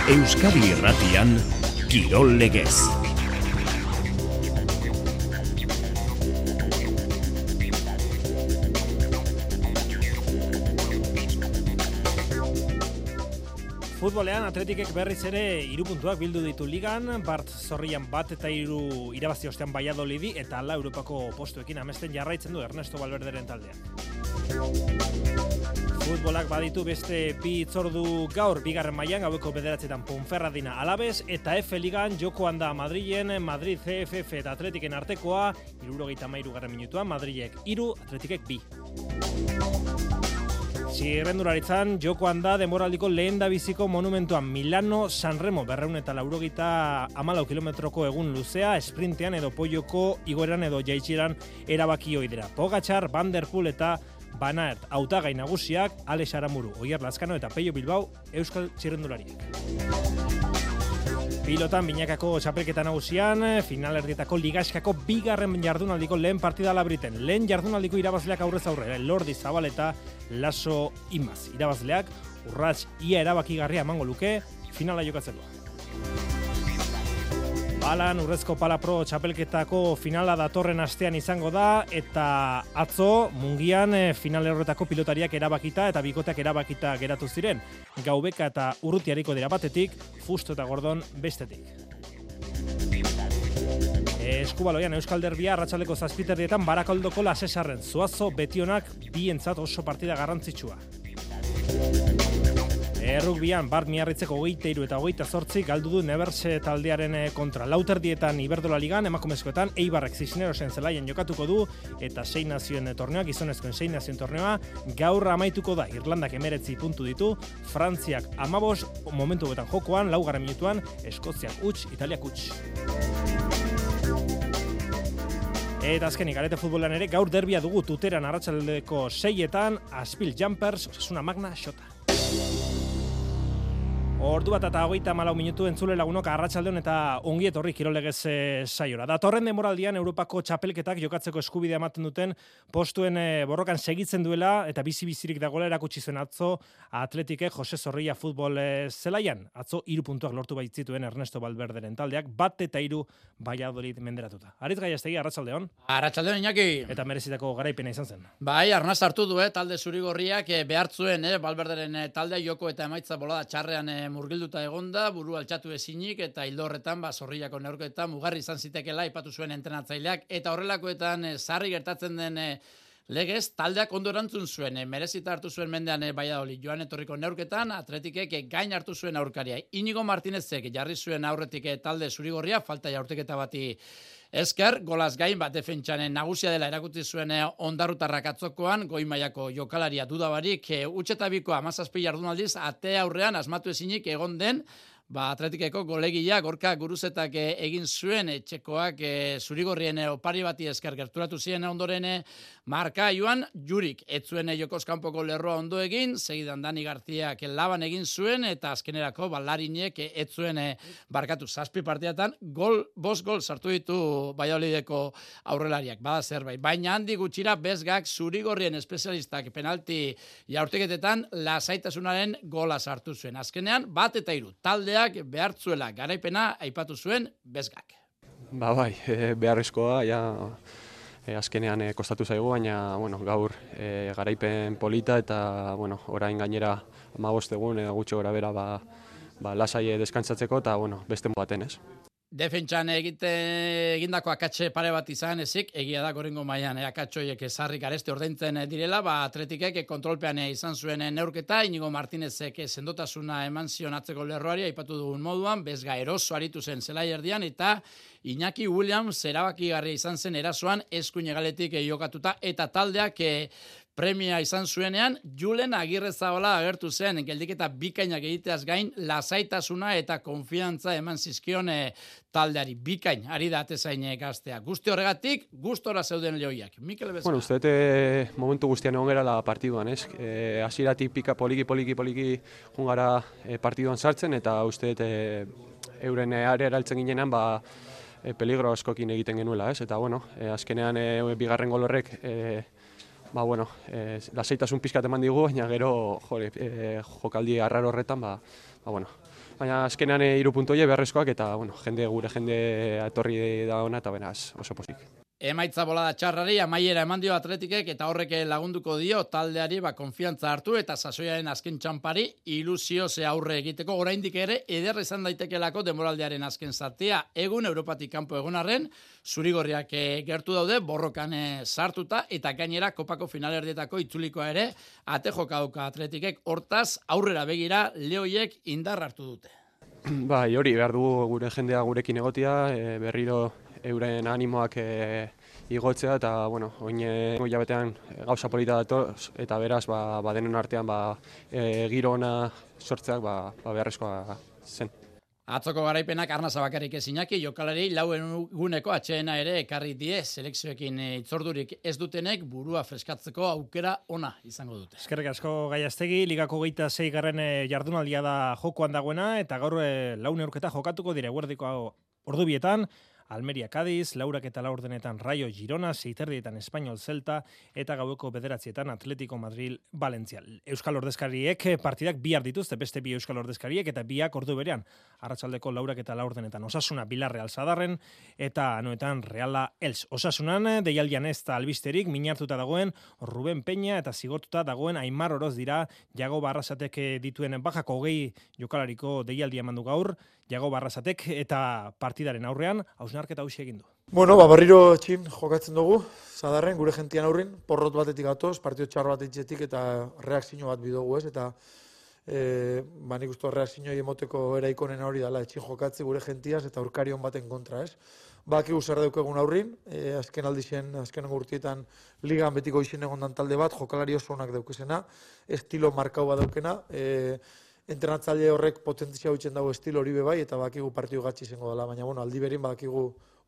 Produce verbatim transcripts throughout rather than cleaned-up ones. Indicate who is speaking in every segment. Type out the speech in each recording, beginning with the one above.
Speaker 1: Euskadi Irratian, Kirol Legez.
Speaker 2: Futbolean Atletikek berriz ere hiru puntuak bildu ditu ligan, Bart Zorrian bat eta hiru irabazi ostean Valladolidi eta hala Europako postuekin amesten jarraitzen du Ernesto Valverderen taldeak. Futbolak baditu beste bi hitzordu gaur bigarren mailan gaueko bederatzetan Ponferradina Alaves eta F Ligan jokoan da Madrilen Madrid C F F eta Atletiken artekoa hirurogeita hamairugarren minutuan Madrilek hiru Atletikek bi. Txirrendularitzan jokoan da denboraldiko lehendabiziko monumentuan Milano Sanremo berrehun eta laurogeita hamalau kilometroko egun luzea esprintean edo poioko igoeran edo jaitsieran erabaki ohi dira. Pogačar, Van der Poel eta Van Aert hautagai nagusiak, Alex Aramuru, Oier Lazkano eta Pello Bilbao euskal txirrendulariek. Pilotan binakako txapelketa nagusian, finalerdietako ligaskako bigarren jardunaldiko lehen partida Labriten. Lehen jardunaldiko irabazleak aurrez aurre, Lordi Zabaleta, Laso Imaz. Irabazleak urrats ia erabakigarria emango luke finala jokatzeko. Balan urrezko Pala Pro txapelketako finala datorren astean izango da eta atzo Mungian final horretako pilotariak erabakita eta bikoteak erabakita geratu ziren. Gaubeka eta Urrutiariko dira batetik, Fusto eta Gordon bestetik. Eskubaloian Euskal Derbia arratsaldeko zazpiterdietan Barakaldoko Lasesarren Zuazo betionak bientzat oso partida garrantzitsua. Errugbian Bart Miarritzeko hogeita hiru eta hogeita zortzi galdu du Neberse taldearen kontra. Lauterdietan Iberdola Ligan emakumezkoetan Eibarrek Cisnerosen zelaian jokatuko du eta sei nazioen torneoa, gizonezkoen sei nazioen torneoa gaur amaituko da. Irlandak hemeretzi puntu ditu, Frantziak hamabost momentu betan jokoan, laugarren minutuan Eskoziak huts, Italiak huts. Eta azkenik, Arete futbolean ere gaur derbia dugu Tuteran arratsaldeko seietan, Aspil Jumpers, Osasuna Magna, Xota. Ordu bat eta hogeita hamalau minutu entzule lagunok arratsaldeon eta ongi etorri Kirol Legez saiora. Datorren denboraldian Europako txapelketak jokatzeko eskubidea ematen duten postuen borrokan segitzen duela eta bizi-bizirik dagoela erakutsi zuen atzo Atletikek Jose Zorrilla futbol zelaian. Atzo hiru puntuak lortu baitzituen Ernesto Valverderen taldeak, bat eta hiru Valladolid menderatuta. Aritz Gaiastegi, arratsaldeon.
Speaker 3: Arratsaldeon, Iñaki.
Speaker 2: Eta merezitako garaipena izan zen.
Speaker 3: Bai, arnaz hartu du, eh, talde zurigorriak eh, behartzuen, eh, Valverderen eh, taldea joko eta emaitza bolada txarrean eh, murgilduta egonda, buru altxatu ezinik eta hildo horretan ba Zorrillako neurketan mugarri izan zitekeela aipatu zuen entrenatzaileak eta horrelakoetan e, sarri gertatzen den e, legez taldeak ondo erantzun zuen, e, merezita hartu zuen mendean e, Valladolid joan etorriko neurketan Atletikek e, gain hartu zuen aurkaria. Inigo Martinezek jarri zuen aurretik e, talde zurigorria falta jaurteketa bati esker, golaz gain bat defentsanen nagusia dela erakutsi zuen ondarrutarrak atzokoan, goi mailako jokalaria dudabarik, e, utxetabiko amazazpi jardunaldiz, ate aurrean asmatu ezinik egon den, ba, Atletikeko golegilea Gorka Guruzetak e, egin zuen, e, txekoak e, zurigorrien e, opari bati esker gerturatu ziren ondoren e, marka joan, jurik, etzuen e, jokoz kanpoko lerroa ondo egin, segidan Dani Garziak e, laban egin zuen, eta azkenerako balarinek e, etzuen e, barkatu zazpi partiatan, gol, bost gol sartu ditu Valladolideko aurrelariak, bada zerbait. Baina handi gutxira bezgak zurigorrien espezialistak penalti jaurteketetan lasaitasunaren gola sartu zuen. Azkenean, bat eta hiru, taldea behartzuela garaipena aipatu zuen bezgak.
Speaker 4: Ba bai, e, beharrezkoa, ja, e, azkenean e, kostatu zaigu, baina bueno, gaur e, garaipen polita eta bueno, orain gainera hamabost egun e, gutxi gora bera ba, ba, lasai deskantzatzeko eta bueno, beste baten ez.
Speaker 3: Defentsan egite egindako akatxe pare bat izan ezik, egia da gorengo mailan e, akatxoiek ezarrik gareste ordaintzen direla, ba Atletikek kontrolpean izan zuen neurketa, Inigo Martinezek sendotasuna eman zion atzeko lerroari aipatu dugun moduan, bezga eroso aritu zen zelai erdian eta Iñaki Williams erabakigarria izan zen erasoan eskuin hegaletik jokatuta eta taldeak e, premia izan zuenean, Julen Agirrezabala agertu zen, geldiketa bikainak egiteaz gain, lasaitasuna eta konfiantza eman zizkion e, taldeari bikain, ari da atezain gaztea. Guzti horregatik, gustora zeuden lehoiak. Mikel Bezala.
Speaker 4: Bueno, uste dut momentu guztian egon gara la partiduan, ez? E, Hasieratik pika poliki, poliki, poliki jungara e, partiduan sartzen, eta uste dut e, euren area eraltzen ginenan, ba, e, peligro askokin egiten genuela, ez? Eta, bueno, e, azkenean e, bigarren gol horrek e, ba, bueno, e, lasaitasun pizkat eman digu, baina gero jore, e, jokaldi arraro horretan, ba, ba, bueno, baina azkenean hiru puntu horiek beharrezkoak eta bueno, jende gure jende etorri da ona eta beraz oso pozik.
Speaker 3: Emaitza bolada txarrari amaiera eman dio Atletikek eta horrek lagunduko dio taldeari ba konfiantza hartu eta sasoiaren azken txanpari ilusio ze aurre egiteko oraindik ere eder izan daitekelako denboraldiaren azken zatia. Egun Europatik kanpo egon arren, zurigorriak gertu daude borrokan sartuta eta gainera kopako finalerdietako itzulikoa ere ate joka dauka Atletikek. Hortaz aurrera begira lehoiek indar hartu dute.
Speaker 4: Bai, hori behar dugu gure jendea gurekin egotia, e, berriro euren animoak e, igotzea eta bueno, oin hilabetean gauza polita datoz eta beraz ba, ba denen artean ba, e, giro ona sortzeak ba, ba beharrezkoa zen.
Speaker 3: Atzoko garaipenak Arnasa bakarrik ezinaki, jokalari lauen guneko atxeena ere ekarri die selekzioekin itzordurik ez dutenek burua freskatzeko aukera ona izango dute.
Speaker 2: Eskerrik asko Gaiastegi, ligako geita sei garren jardunaldia da jokoan dagoena eta gaur lau neurketa jokatuko dire guerdiko ordubietan. Almeria Cádiz, laurak eta laurdenetan Rayo Girona, seiterdietan Español Celta eta gaueko bederatzietan Atletico Madrid Valencia. Euskal ordezkariek partidak bihar dituzte, beste bi euskal ordezkariek eta biak ordu berean. Arratsaldeko laurak eta laurdenetan Osasuna Villarreal Zadarren eta anoetan Reala Els. Osasunan deialdian ez da albisterik, minartuta dagoen Ruben Peña eta zigortuta dagoen Aimar Oroz dira Jago Barrasatek dituen bajako hogei jokalariko deialdia emandu gaur, Jago Barrasatek eta partidaren aurrean hausnarketa hausi egin du.
Speaker 5: Bueno, ba, barriro txin jokatzen dugu, Zadarren, gure gentian aurrin, porrot batetik gatoz, partio txar bat itxetik eta reakzio bat bidogu ez, eta e, ba, nik uste reakzio emoteko eraikonen hori dela, etxin jokatzi gure gentiaz eta aurkarion baten kontra ez. Bakigu zer daukegun aurrin, e, azken aldizien, azken urtietan ligan betiko izin egondan talde bat, jokalari oso onak daukezena, estilo markau bat daukena, e, entrenatzaile horrek potentzia huitzen dago estilo hori bebai, eta bakigu partio gatsi izango dela, baina bueno, aldi berin bakigu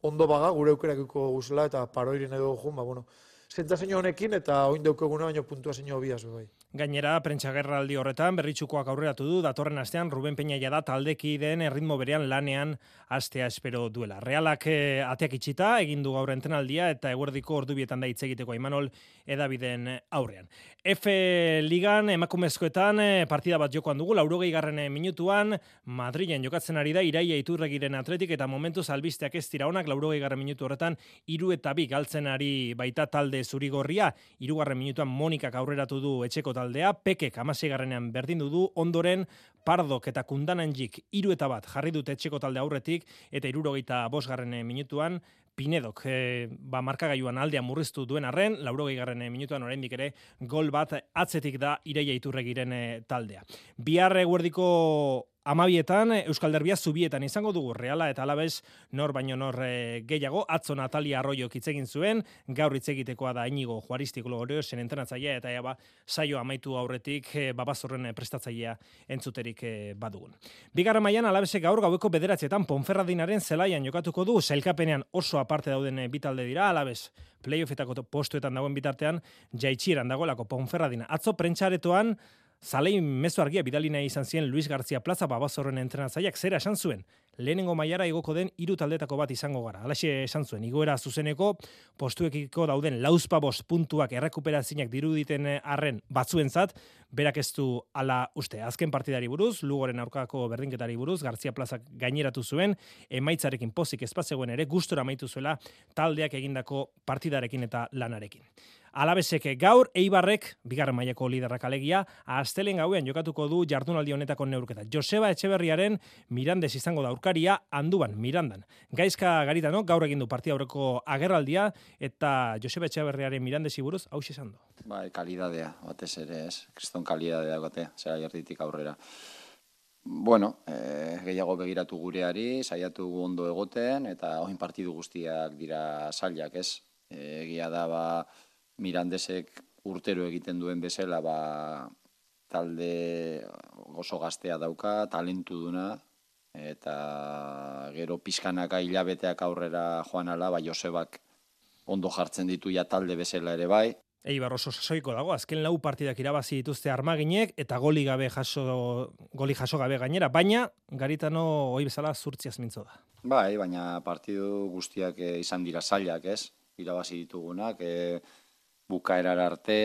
Speaker 5: ondo baga, gure aukerakiko guzela, eta paroiren edo jun, ba, bueno, zentzazio honekin, eta oin daukeguna, baina puntuazio biaz bebai.
Speaker 2: Gainera, prentsagerraldi horretan berritxukoak aurreratu du datorren astean Ruben Peña jada taldekideen erritmo berean lanean astea espero duela. Realak eh, ateak itxita egin du gaur entrenaldia eta eguerdiko ordubietan da hitz egiteko Imanol edabideen aurrean. F Ligan emakumezkoetan eh, partida bat jokoan dugu, laurogei garren minutuan Madrilen jokatzen ari da Iraia Iturregiren Atletik eta momentuz albisteak ez dira onak, laurogei garren minutu horretan hiru eta bi galtzen ari baita talde zurigorria, hirugarren minutuan Monikak aurreratu du etxeko taldea, Pekek hamaseigarrenean berdindu du, ondoren Pardok eta Kundananjik hiru eta bat jarri dute etxeko talde aurretik eta hirurogeita bosgarren minutuan Pinedok e, ba, markagailuan aldean murriztu duen arren, laurogei garren minutuan oraindik ere gol bat atzetik da Iraia Iturregiren e, taldea. Bihar eguerdiko amabietan Euskal Derbia zubietan izango dugu Reala eta Alabes nor baino nor e, gehiago. Atzo Natalia Arroyok hitz egin zuen, gaur hitz egitekoa da Inigo Juaristi Gloriosen entrenatzailea eta ja ba saio amaitu aurretik e, Babazorren prestatzailea entzuterik e, badugun. Bigarren mailan Alabesek gaur gaueko bederatzietan Ponferradinaren zelaian jokatuko du, sailkapenean oso aparte dauden bi talde dira, Alabes playoffetako postuetan dagoen bitartean jaitsieran dagoelako Ponferradina. Atzo prentsaretoan Zalei mezu argia bidali nahi izan zien Luis García Plaza Babazorren entrenatzaileak zera esan zuen. Lehenengo mailara igoko den hiru taldetako bat izango gara. Halaxe esan zuen, igoera zuzeneko postuekiko dauden lauzpabost puntuak errekuperazinak diruditen arren batzuentzat, berak ez du ala uste. Azken partidari buruz, Lugoren aurkako berdinketari buruz, García Plazak gaineratu zuen, emaitzarekin pozik ezpazegoen ere, gustora amaitu zuela taldeak egindako partidarekin eta lanarekin. Alabesek gaur, Eibarrek, bigarren mailako liderrak alegia, astelen gauean jokatuko du jardunaldi honetako neurketa. Joseba Etxeberriaren Mirandes izango da aurkaria, Anduban, Mirandan. Gaizka Garitano gaur egin du partida aurreko agerraldia eta Joseba Etxeberriaren Mirandesi buruz hau esan du.
Speaker 6: Bai, kalidadea, batez ere, ez? Kriston kalidadea gote, zera jartitik aurrera. Bueno, eh, gehiago begiratu gureari, saiatu ondo egoten, eta oin partidu guztiak dira zailak, ez? Egia da, ba, Mirandesek urtero egiten duen bezala, ba, talde oso gaztea dauka, talentu duna, eta gero pizkanaka hilabeteak aurrera joan ala, ba, Josebak ondo jartzen ditu ja talde bezala ere bai.
Speaker 2: Eibar oso sasoiko dago, azken lau partidak irabazi dituzte Armaginek eta goli gabe jaso, goli jaso gabe gainera, baina Garitano ohi bezala zurtziaz mintzo da.
Speaker 6: Bai, baina partidu guztiak izan dira zailak, ez? Irabazi ditugunak, e, bukaerar arte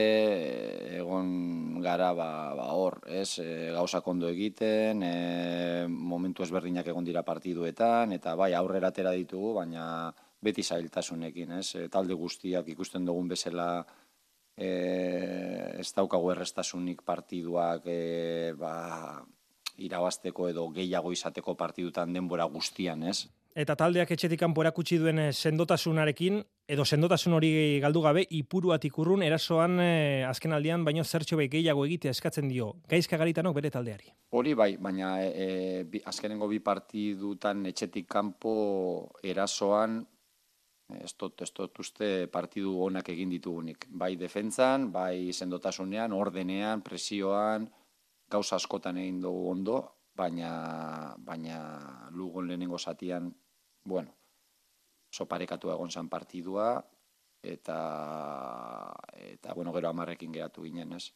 Speaker 6: egon gara ba, ba hor, ez, e, gauzak ondo egiten, e, momentu ezberdinak egon dira partiduetan, eta bai aurrera atera ditugu, baina beti zailtasunekin, ez, e, talde guztiak ikusten dugun bezala e, ez daukagu errestasunik partiduak e, ba, irabazteko edo gehiago izateko partidutan denbora guztian, ez?
Speaker 2: Eta taldeak etxetik kanpo erakutsi duen sendotasunarekin, edo sendotasun hori galdu gabe, ipuruatik urrun erasoan e, azken aldian, baino zertxo bai gehiago egitea eskatzen dio. Gaizka Garitanok bere taldeari.
Speaker 6: Hori bai, baina e, bi, azkenengo bi partidutan etxetik kanpo erasoan, ez dut, ez dut uste partidu onak egin ditugunik. Bai defentsan, bai sendotasunean, ordenean, presioan, gauza askotan egin dugu ondo, baina, baina Lugon lehenengo zatian, bueno, soparekatu egon zan partidua, eta, eta bueno, gero amarrekin geratu ginen, ez?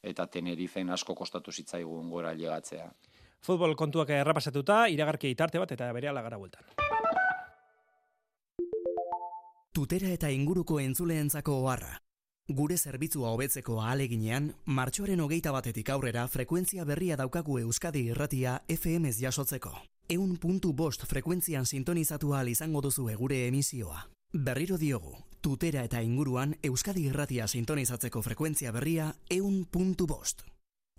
Speaker 6: Eta Tenerifen asko kostatu zitzaigun gora llegatzea.
Speaker 2: Futbol kontuak errapasatuta, iragarki itarte bat eta berehala gara bueltan.
Speaker 7: Tutera eta inguruko entzuleentzako oharra. Gure zerbitzua hobetzeko ahaleginean, martxoaren hogeita batetik aurrera frekuentzia berria daukagu Euskadi Irratia F M-z jasotzeko. Eun puntu bost frekuentzian sintonizatu ahal izango duzu gure emisioa. Berriro diogu, Tutera eta inguruan Euskadi Irratia sintonizatzeko frekuentzia berria eun puntu bost.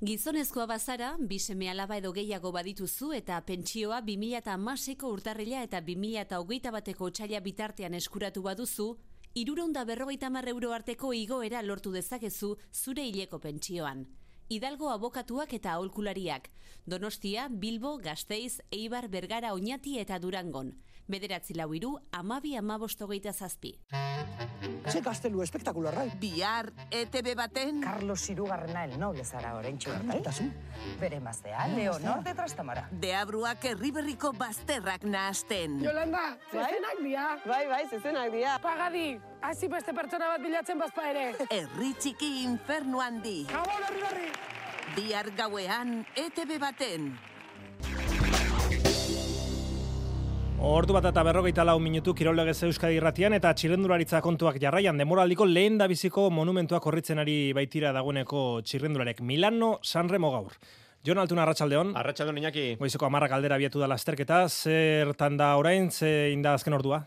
Speaker 8: Gizonezkoa bazara, bi seme alaba edo gehiago badituzu eta pentsioa bi mila hamaseiko urtarrila eta bi mila hogeita bateko otsaila bitartean eskuratu baduzu, hirurehun eta berrogeita hamar euro arteko igoera lortu dezakezu zure hileko pentsioan. Hidalgo abokatuak eta aholkulariak. Donostia, Bilbo, Gasteiz, Eibar, Bergara, Oñati eta Durangon. Bederatzi lau hiru, hamabi hamabost hogeita zazpi.
Speaker 9: Ze gaztelu espektakularra.
Speaker 10: Bihar, E T B baten...
Speaker 9: Carlos Hirugarrena el noble zara oraintxe bertai. Bere maztea, Leonor de Trastamara.
Speaker 10: Deabruak herriberriko bazterrak nahasten.
Speaker 11: Yolanda, zezenak dia.
Speaker 12: Bai, bai, zezenak dia.
Speaker 11: Pagadi, hasi beste pertsona bat bilatzen bazpa ere.
Speaker 10: Herri txiki infernu handi.
Speaker 11: Gabon, herri berri.
Speaker 10: Bihar gauean, E T B baten.
Speaker 2: Ordu bat eta berrogeita lau minutu Kirollegez Euskadi Irratian eta txirrendularitza kontuak jarraian demoraldiko lehen da biziko monumentuak korritzen ari baitira dagoeneko txirrendularek. Milano Sanremo gaur. Jon Altuna, arratsaldeon.
Speaker 13: Arratsaldeon, Iñaki.
Speaker 2: Goizeko hamarrak aldera abiatu da lasterketa, zertan da orain, zein da azken ordua?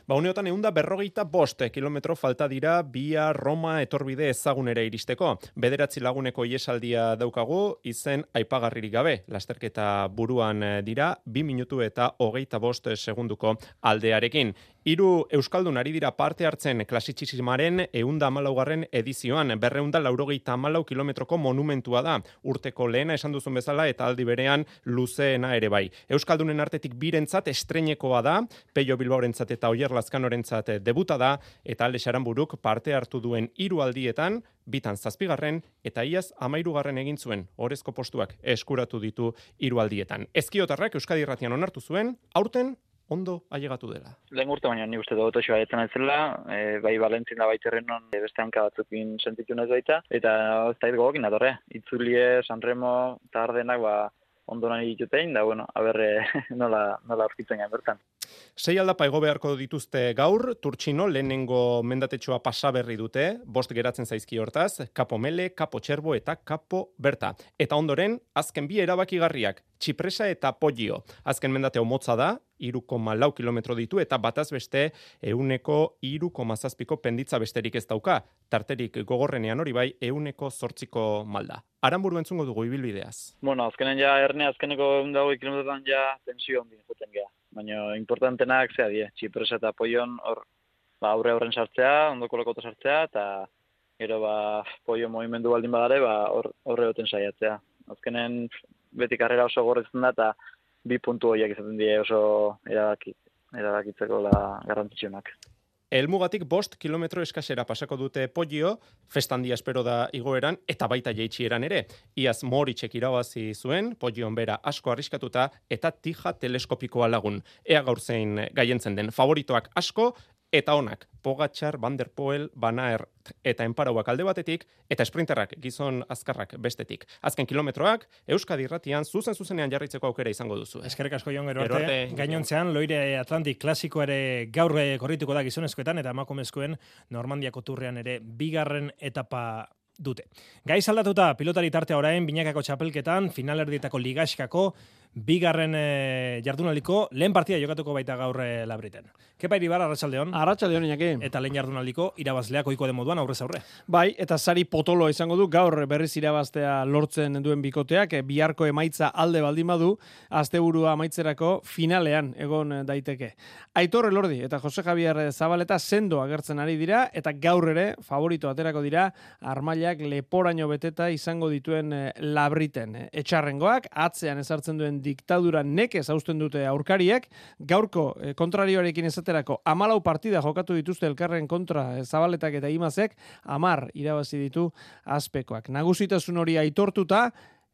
Speaker 13: Ba, uneotan egun da berrogeita bost kilometro falta dira Bia Roma etorbide ezagunera iristeko. Bederatzi laguneko iesaldia daukagu, izen aipagarririk gabe. Lasterketa buruan dira, bi minutu eta hogeita bost segunduko aldearekin. Hiru euskaldun ari dira parte hartzen klasitxismaren ehunda hamalaugarren edizioan, berrehunda laurogeita hamalau kilometroko monumentua da. Urteko lehena esan duzun bezala eta aldi berean luzeena ere bai. Euskaldunen artetik birentzat estreinekoa da, Peio Bilbaorentzat eta Oier Lazkanorentzat debuta da, eta Alde Xaranburuk parte hartu duen hiru aldietan, bitan zazpigarren eta iaz hamairugarren egin zuen, orezko postuak eskuratu ditu hiru aldietan. Ezkiotarrak Euskadi Irratian onartu zuen, aurten ondo ailegatu dela.
Speaker 14: Lehen urte baina ni uste dut oso aietan ez zela, e, bai Valentzin da baiterrenon e, beste hanka batzukin sentitu nez baita, eta ez da gogokin atorre. Itzulie, Sanremo, eta Ardenak ba, ondo nahi ditutein, da bueno, haber nola, nola aurkitzen gain bertan.
Speaker 13: Sei aldapa ego beharko dituzte gaur, Turtxino lehenengo mendatetxoa pasaberri dute, bost geratzen zaizki hortaz, Kapo Mele, Kapo Txerbo eta Kapo Berta. Eta ondoren, azken bi erabakigarriak, Txipresa eta Poggio. Azken mendate homotza da, hiru koma lau kilometro ditu eta bataz beste ehuneko hiru koma zazpiko penditza besterik ez dauka. Tarterik gogorrenean hori bai ehuneko zortziko malda. Aranburu entzungo dugu ibilbideaz.
Speaker 14: Bueno, azkenen ja erne azkeneko ehun eta hogei kilometrotan ja tensio handi joten gea. Baina importantenak zea die, Txipresa eta Poion hor ba aurre aurren sartzea, ondoko lokota sartzea eta gero ba Poio movimendu baldin badare, ba hor horre hoten saiatzea. Azkenen beti karrera oso gorretzen da eta bi puntu horiek izaten die oso erabaki, erabakitzeko la garrantzitsuenak.
Speaker 13: Elmugatik bost kilometro eskasera pasako dute Poggio, festandia espero da igoeran, eta baita jeitxieran ere. Iaz Moritxek irabazi zuen, Poggion bera asko arriskatuta, eta tija teleskopikoa lagun. Ea gaur zein gaientzen den favoritoak asko, eta onak, Pogačar, Van der Poel, Van Aert eta Enparauak alde batetik, eta sprinterrak, gizon azkarrak bestetik. Azken kilometroak, Euskadi Irratian zuzen zuzenean jarritzeko aukera izango duzu.
Speaker 2: Eskerrik asko Jon, gero arte. Gainontzean, Loire Atlantic klasiko ere gaur korrituko da gizonezkoetan, eta emakumezkoen Normandiako turrean ere bigarren etapa dute. Gaiz aldatuta pilotari tartea orain binakako txapelketan, finalerdietako ligaxkako, bigarren e, jardunaldiko lehen partida jokatuko baita gaur e, Labriten. Kepa Iribar, arratsaldeon.
Speaker 12: Arratsaldeon, Iñaki.
Speaker 2: Eta lehen jardunaldiko irabazleak ohiko den moduan aurrez aurre.
Speaker 12: Bai, eta sari potoloa izango du gaur berriz irabaztea lortzen duen bikoteak, biharko emaitza alde baldin badu, asteburua amaitzerako finalean egon daiteke. Aitor Elordi eta Jose Javier Zabaleta sendo agertzen ari dira, eta gaur ere favorito aterako dira armailak leporaino beteta izango dituen Labriten. Etxarrengoak, atzean ezartzen duen diktadura nekez hausten dute aurkariek, gaurko eh, kontrarioarekin esaterako amalau partida jokatu dituzte elkarren kontra eh, Zabaletak eta Imazek, amar irabazi ditu azpekoak. Nagusitasun hori aitortuta,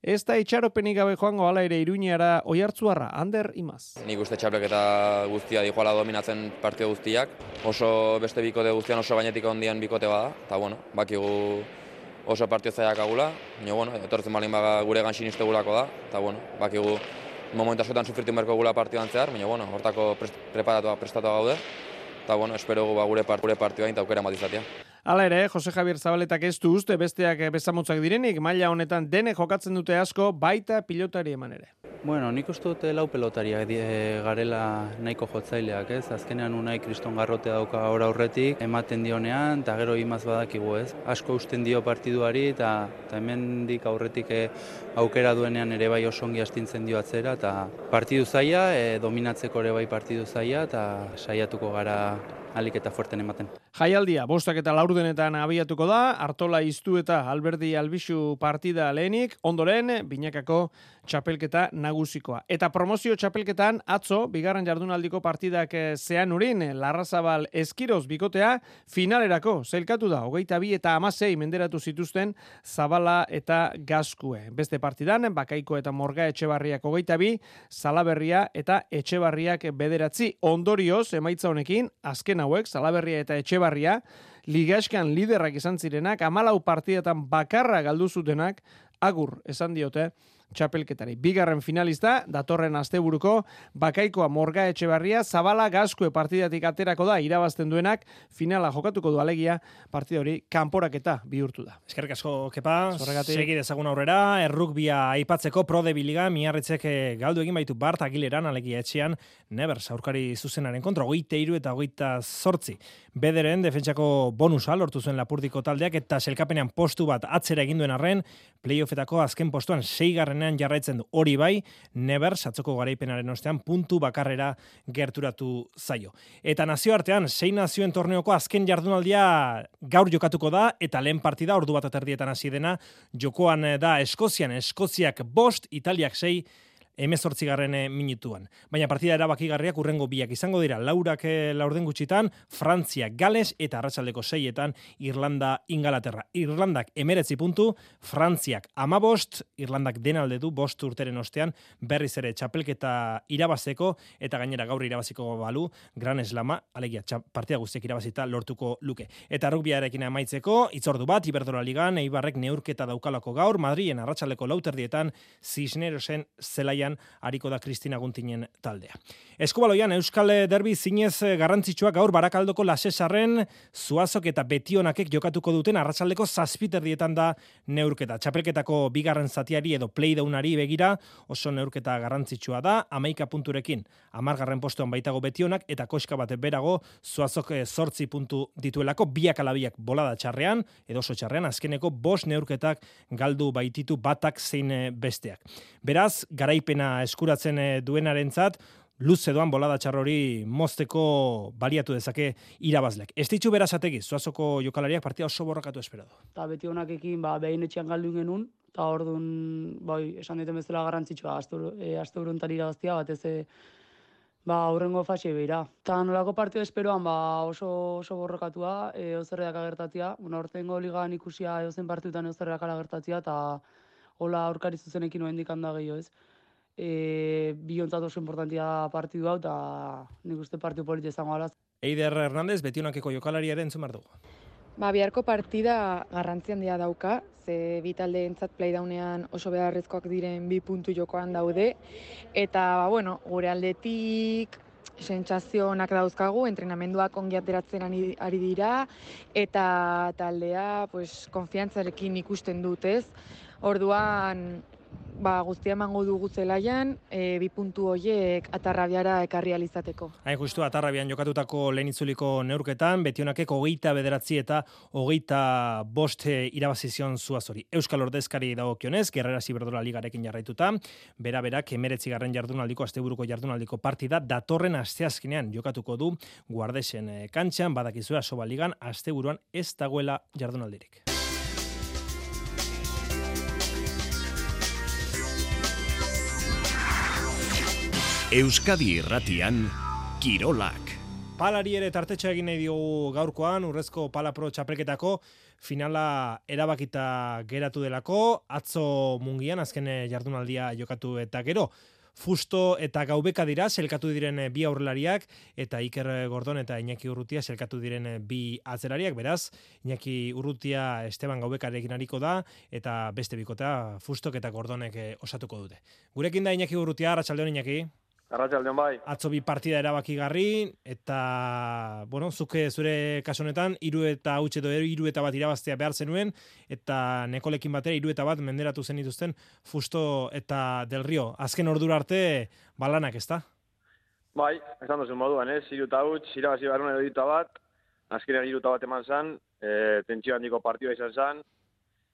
Speaker 12: ez da itxaropenik gabe joango hala ere Iruñara Oiartzuarra, Ander Imaz.
Speaker 15: Nik uste txapelketa guztia dijoala dominatzen partio guztiak, oso beste bikote guztian oso gainetik ondian bikote bada, eta bueno, bakigu oso partio zaiak agula, baina bueno, etortzen balin baga gure gan sinistegulako da, eta bueno, bakigu momentu askotan sufritu merko gula partioan zehar, baina bueno, hortako preparatua, prestatua gaude, eta bueno, espero gu ba, gure, part, gure partioa eta aukera matizatia.
Speaker 12: Hala ere, Jose Javier Zabaletak ez du uste besteak bezamotzak direnik, maila honetan dene jokatzen dute asko, baita pilotari eman ere.
Speaker 16: Bueno, nik uste dute lau pelotariak garela nahiko jotzaileak, ez? Azkenean unai kriston garrote dauka ora aurretik, ematen dionean, eta gero imaz badakigu, ez? Asko usten dio partiduari, eta hemendik aurretik aukera duenean ere bai osongi astintzen dio atzera, eta partidu zaila, e, dominatzeko ere bai partidu zaila, eta saiatuko gara alik eta fuerten ematen.
Speaker 12: Jaialdia, bostak eta laurdenetan abiatuko da, Artola Iztu eta Alberdi Albixu partida lehenik, ondoren, binakako txapelketa nagusikoa. Eta promozio txapelketan, atzo, bigarren jardunaldiko partidak zean urin, Larrazabal Eskiroz bikotea, finalerako, zelkatu da, hogeita bi eta amasei menderatu zituzten Zabala eta Gazkue. Beste partidan, Bakaiko eta Morga Etxebarriak hogeita bi, Salaberria eta Etxebarriak bederatzi. Ondorioz, emaitza honekin, azken hauek, Salaberria eta Etxebarria, ligaxkan liderrak izan zirenak, hamalau partidatan bakarra galdu zutenak, agur esan diote txapelketari. Bigarren finalista, datorren asteburuko, Bakaikoa Morga Etxebarria, Zabala Gazkue partidatik aterako da, irabazten duenak, finala jokatuko du alegia, partida hori kanporaketa bihurtu da.
Speaker 2: Eskerrik asko, Kepa, segi dezagun aurrera, errukbia aipatzeko Prode Biliga, miarritzek galdu egin baitu Bart Agileran, alegia etxean, Nevers, aurkari zuzenaren kontra, hogeita hiru eta hogeita zortzi. Bederen, defentsako bonusa lortu zuen Lapurdiko taldeak, eta selkapenean postu bat atzera egin duen arren, playoffetako azken postuan seigarrenean jarraitzen du. Hori bai, Nevers, atzoko garaipenaren ostean, puntu bakarrera gerturatu zaio. Eta nazioartean, sei nazioen torneoko azken jardunaldia gaur jokatuko da, eta lehen partida ordu bat aterdietan hasi dena, jokoan da Eskozian, Eskoziak bost, Italiak sei, hemezortzigarren minutuan. Baina partida erabakigarriak urrengo biak izango dira, laurak laurden gutxitan, Frantzia, Gales eta arratsaldeko seietan Irlanda, Ingalaterra. Irlandak emeretzi puntu, Frantziak amabost, Irlandak denalde du bost urteren ostean, berriz ere txapelketa irabazeko, eta gainera gaur irabaziko balu, Gran Eslama, alegia, partida guztiak irabazita lortuko luke. Eta rugbiarekin amaitzeko, itzordu bat, Iberdrola Ligan, Eibarrek neurketa daukalako gaur, Madrien arratsaldeko lauterdietan, Cisnerosen zelaian hariko da Kristina Guntinen taldea. Eskubaloian, Euskal Derbi zinez garrantzitsuak gaur Barakaldoko Lasesarren, Zuazok eta Betionakek jokatuko duten arratsaldeko zazpiterdietan da neurketa. Txapelketako bigarren zatiari edo playdownari begira oso neurketa garrantzitsua da, hamaika punturekin, hamargarren postuan baitago Betionak eta koska bat berago Zuazok zortzi puntu dituelako, biak alabiak bolada txarrean, edo oso txarrean, azkeneko bost neurketak galdu baititu batak zein besteak. Beraz, garaipen eskuratzen duenarentzat, luze doan bolada txarrori mozteko baliatu dezake irabazleak. Ez ditzu berazategi, Zuazoko jokalariak partida oso borrokatu esperado.
Speaker 17: Eta beti honakekin, ba, behin etxean galdu genuen, eta orduan, bai, esan duten bezala garrantzitsua, aste uruntan irabaztia, batez ba, aurrengo fase behira. Eta nolako partida esperoan, ba, oso, oso borrokatua, e, ozerreak agertatia, bueno, ortengo ligan ikusia eozen partidutan ozerreak agertatia, eta hola aurkari zuzenekin noen dikanda gehiago ez. E, bi ontzat oso importantia partidu hau, eta nik uste partidu politia izango alaz.
Speaker 2: Eider Hernandez, Betionakeko jokalariaren entzun behar dugu.
Speaker 18: Ba, biharko partida garrantzi handia dauka, ze bi taldeentzat playdownean oso beharrezkoak diren bi puntu jokoan daude, eta, ba, bueno, gure aldetik sentsazio onak dauzkagu, entrenamenduak ongi ateratzen ari dira, eta taldea, pues, konfiantzarekin ikusten dut, ez? Orduan, ba, guztia emango dugu zelaian, e, bi puntu horiek Atarrabiara ekarri alizateko.
Speaker 2: Hain justu, Atarrabian jokatutako lehen itzuliko neurketan, Betionakek hogeita bederatzi eta hogeita bost irabazizion Zuazori. Euskal ordezkari dagokionez, Gerrera Ziberdrola ligarekin jarraituta, bera berak emeretzi garren jardunaldiko, asteburuko jardunaldiko partida, datorren asteazkenean jokatuko du Guardesen kantxan, badakizua Soba ligan, asteburuan ez dagoela jardunaldirik.
Speaker 1: Euskadi Irratian, Kirolak.
Speaker 2: Palari ere tartetxa egin nahi diogu gaurkoan, urrezko Pala Pro txapelketako finala erabakita geratu delako, atzo Mungian, azken jardunaldia jokatu eta gero. Fusto eta Gaubeka dira, selkatu diren bi aurrelariak, eta Iker Gordon eta Iñaki Urrutia selkatu diren bi atzerariak, beraz, Iñaki Urrutia Esteban Gaubekarekin ariko da, eta beste bikotea Fustok eta Gordonek osatuko dute. Gurekin da Iñaki Urrutia, arratsaldeon Iñaki.
Speaker 19: Arratsaldeon bai.
Speaker 2: Atzo bi partida erabakigarri, eta, bueno, zuke zure kasu honetan, hiru eta huts edo hiru eta bat irabaztea behar zenuen, eta Nekolekin batera hiru eta bat menderatu zen dituzten Fusto eta Del Rio. Azken ordura arte balanak, ezta?
Speaker 19: Bai, esan duzu moduan, ez? Hiru eta huts, irabazi barrun edo hiru eta bat, azkenean hiru eta bat eman zan, e, tentsio handiko partidua izan zan,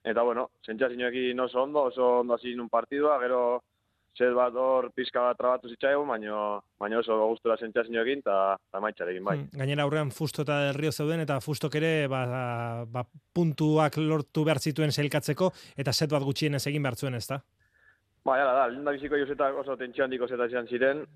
Speaker 19: eta, bueno, sentsazioekin oso ondo, oso ondo hasi nun partidua, gero zet bat hor pizka bat trabatu zitzaigun, baina baino oso gustura sentsazioekin eta emaitzarekin bai.
Speaker 2: Hmm, gainera aurrean Fusto eta Del Rio zeuden eta Fustok ere ba, ba, puntuak lortu behar zituen sailkatzeko eta set bat gutxienez egin behar zuen, ezta?
Speaker 19: Bai, hala da, lehen da biziko josetak oso tentsio handiko zeta izan ziren,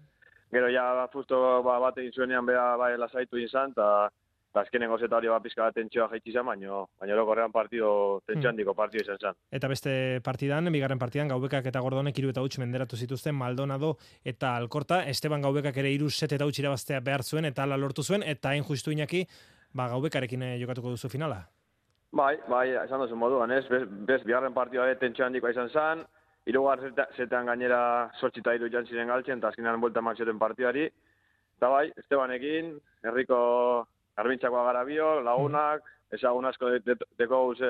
Speaker 19: gero ja Fusto ba, bat egin zuenean beha bai lasaitu izan, eta azkenengo zeta hori bat pizka bat tentsioa jaitsi izan, baina baina orokorrean partido tentsio handiko partido izan zen.
Speaker 2: Eta beste partidan, bigarren partidan, Gaubekak eta Gordonek hiru eta huts menderatu zituzten Maldonado eta Alkorta, Esteban Gaubekak ere hiru set eta huts irabaztea behar zuen, eta ala lortu zuen, eta hain justu Iñaki, ba, Gaubekarekin jokatuko duzu finala.
Speaker 19: Bai, bai, esan duzu moduan, ez, bez, bez bigarren partidua tentsio handikoa izan zen, hirugar zetean gainera zortzi eta hiru joan ziren galtzen, eta azkenean buelta eman zioten partidari, eta bai, Estebanekin, herriko Garbintxakoa gara bio, lagunak, ezagun asko deko guze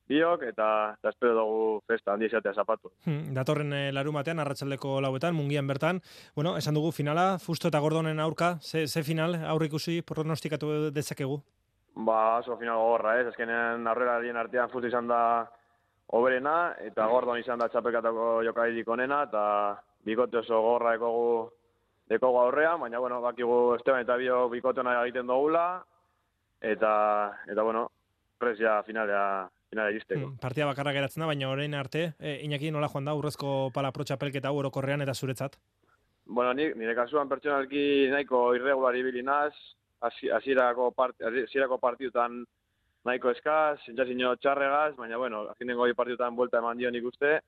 Speaker 19: biok, eta, eta espero dugu festa handi izatea zapatu.
Speaker 2: Hmm, datorren e, larumatean, arratsaldeko lauetan, Mungian bertan, bueno, esan dugu finala, Fusto eta Gordonen aurka, ze, ze final aurrikusi pronostikatu dezakegu?
Speaker 19: Ba, oso final gogorra, ez, azkenean aurrera dien artean Fusto izan da oberena, eta Gordon izan da txapelkatako jokaidik onena, eta bikote oso gogorra ekogu dekogu aurrean, baina, bueno, bakigu Esteban eta bio bikotena egiten dugula, eta, eta bueno, presia finalea, finalea iristeko.
Speaker 2: Hmm, partida bakarra geratzen da, baina orain arte, e, Iñaki nola joan da, urrezko Pala Pro txapelketa orokorrean eta zuretzat?
Speaker 19: Bueno, ni, nire kasuan pertsonalki nahiko irregular ibili naz, hasierako part, partidutan nahiko eskaz, sentsazio txarregaz, baina, bueno, azkenengo partidutan buelta eman dio nik uste,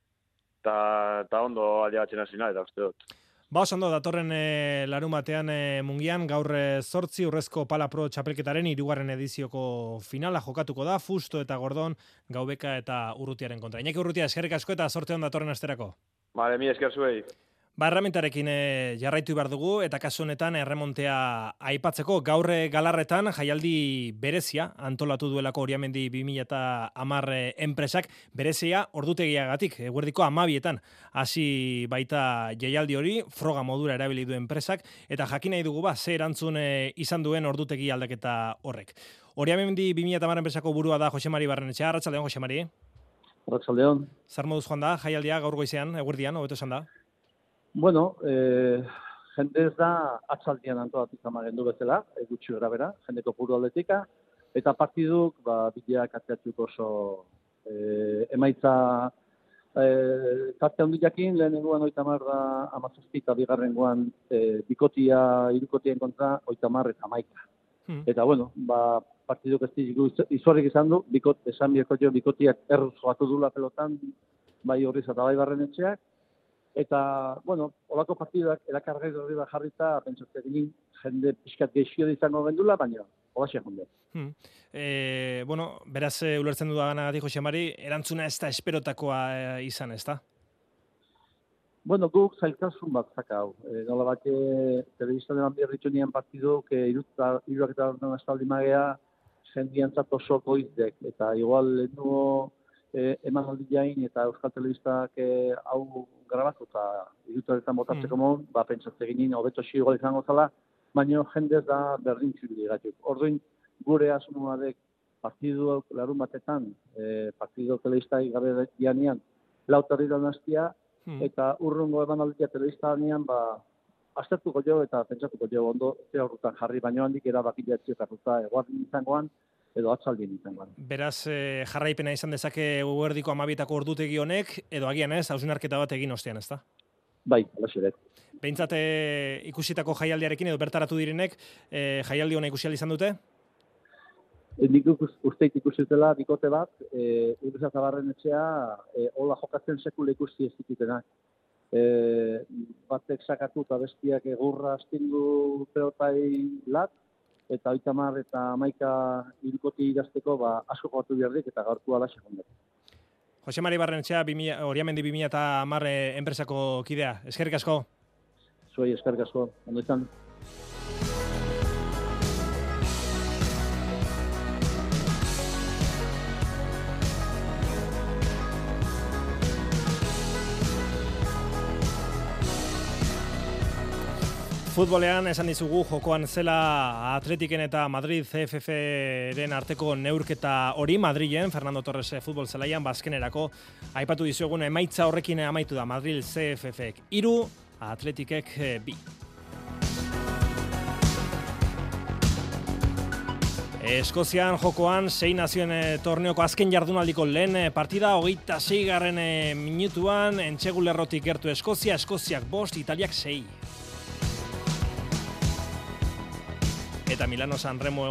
Speaker 19: eta ondo aldeatzen hasi nahi, eta uste dut.
Speaker 2: Ba, osando, datorren e, larun batean e, Mungian, gaur zortzi urrezko Pala Pro txapelketaren hirugarren edizioko finala jokatuko da, Fusto eta Gordon, Gaubeka eta Urrutiaren kontra. Iñaki Urrutia, eskerrik asko eta zorte on datorren asterako.
Speaker 19: Bale, mi esker zuei.
Speaker 2: Ba, erremintarekin e, jarraitu behar dugu, eta kasu honetan erremontea aipatzeko gaur galarretan jaialdi berezia antolatu duelako Oriamendi bi mila hamar enpresak, berezia ordutegiagatik, eguerdiko hamabietan hasi baita jaialdi hori, froga modura erabili du enpresak, eta jakin nahi dugu ba, ze erantzun e, izan duen ordutegi aldaketa horrek. Oriamendi bi mila hamar enpresako burua da Jose Mari Barrenetxea, arratsaldeon Jose Mari.
Speaker 20: Arratsaldeon.
Speaker 2: Zer moduz joan da jaialdia gaur goizean, eguerdian, hobeto esan da?
Speaker 20: Bueno, eh, jende ez da atzaldian antolatu izan du bezala, e, gutxi gara bera, jendeko puru aldetika, eta partiduk, ba, bideak atziatzuk oso e, emaitza e, tarte handiakin, lehenengoan oitamar da amazazpi eta bigarrengoan e, bikotia, irukotien kontra oitamar eta maika. Hmm. Eta, bueno, ba, partiduk ez digu izuarrik izan du, bikot, esan bieko jo, bikotiak erruz joatu dula pelotan, bai horriz eta bai Barrenetxeak, eta, bueno, olako partidak erakargai horri bat jarrita, pentsatzen egin jende pixkat geixio izango gendula, baina horaxe jonde.
Speaker 2: Hmm. E, bueno, beraz, e, ulertzen dudanagatik, Jose Mari, erantzuna ez da esperotakoa e, izan, ez da?
Speaker 20: Bueno, guk zailtasun bat zakau. E, nola bat, e, telebiztan eman berritu nian partiduk, e, iruak eta orduan estaldi magea, jendiantzat oso goizdek, eta igual nuo e, eman aldi jain, eta Euskal Telebistak e, hau grabatu, eta irutuaretan botatzeko mm. mon, ba, pentsatze ginen, hobeto igual izango zala, baina jendez da berdin txuri gatik. Orduin, gure asunuadek partidu larun batetan, e, partidu telebistai gabe janean, lautarri da nastia, mm. eta urrungo eman aldia telebista janean, ba, aztertuko jo eta pentsatuko jo ondo ze horretan jarri, baino handik erabakila etxiokarruta eguardin izangoan edo atzaldien izangoan.
Speaker 2: Beraz, eh, jarraipena izan dezake eguerdiko amabietako ordutegi honek, edo agian ez, hausnarketa bat egin ostean, ez da?
Speaker 20: Bai, alaxe dut.
Speaker 2: Behintzat eh, ikusitako jaialdiarekin edo bertaratu direnek, eh, jaialdi hona ikusi izan dute?
Speaker 20: E, nik usteit ikusitela bikote bat, e, Urbiza Zabarren etxea, e, hola jokatzen sekule ikusi ez ditutenak. E, batek sakatu eta bestiak egurra astindu pelotai lat, eta oita mar eta amaika irukoti idazteko ba, asko jokatu bihardik eta gaurtu alaxe jondet.
Speaker 2: Jose Mari Barrenetxea, Oriamendi bi mila hamar enpresako kidea. Eskerrik asko.
Speaker 20: Zuei eskerrik asko. Ondo izan.
Speaker 2: Futbolean esan dizugu jokoan zela Atletiken eta Madrid C F F-ren arteko neurketa hori Madrilen, Fernando Torres futbol zelaian bazkenerako aipatu dizuegun emaitza horrekin amaitu da Madrid C F F-ek hiru, Atletikek bi. Eskozian jokoan sei nazioen torneoko azken jardunaldiko lehen partida, hogeita seigarren minutuan, entxegulerrotik gertu Eskozia, Eskoziak bost, Italiak sei. Eta Milano San Remo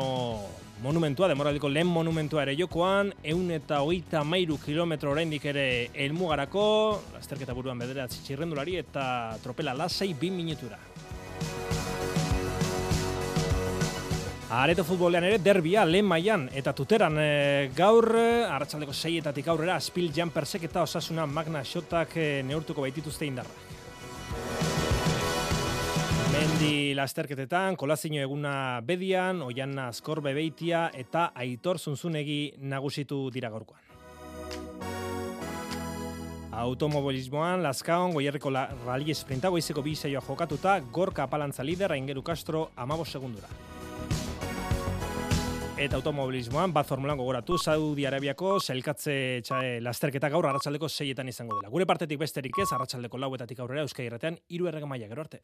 Speaker 2: monumentua, demoraldiko lehen monumentua ere jokoan, ehun eta hogeita hamairu kilometro oraindik ere helmugarako, lasterketa buruan bederatzi txirrendulari eta tropela lasai bi minutura. Areto futbolean ere derbia lehen mailan eta Tuteran e, gaur, arratsaldeko seietatik aurrera, Spil Jampersek eta Osasuna Magna Xotak e, neurtuko baitituzte indarra. Mendi lasterketetan, Kolazino eguna Bedian, Oiana Azkorbe Beitia eta Aitor Zunzunegi nagusitu dira gaurkoan. Automobilismoan, Lazkaon, Goierriko Rally Sprinta, goizeko bi saioa jokatuta, Gorka Apalantza lider, Aingeru Castro, amabos segundura. Eta automobilismoan, bat formulan gogoratu, Saudi Arabiako sailkatze txae lasterketa gaur arratsaldeko seietan izango dela. Gure partetik besterik ez, arratsaldeko lauetatik aurrera Euskadi Irratean hiru errege maila, gero arte.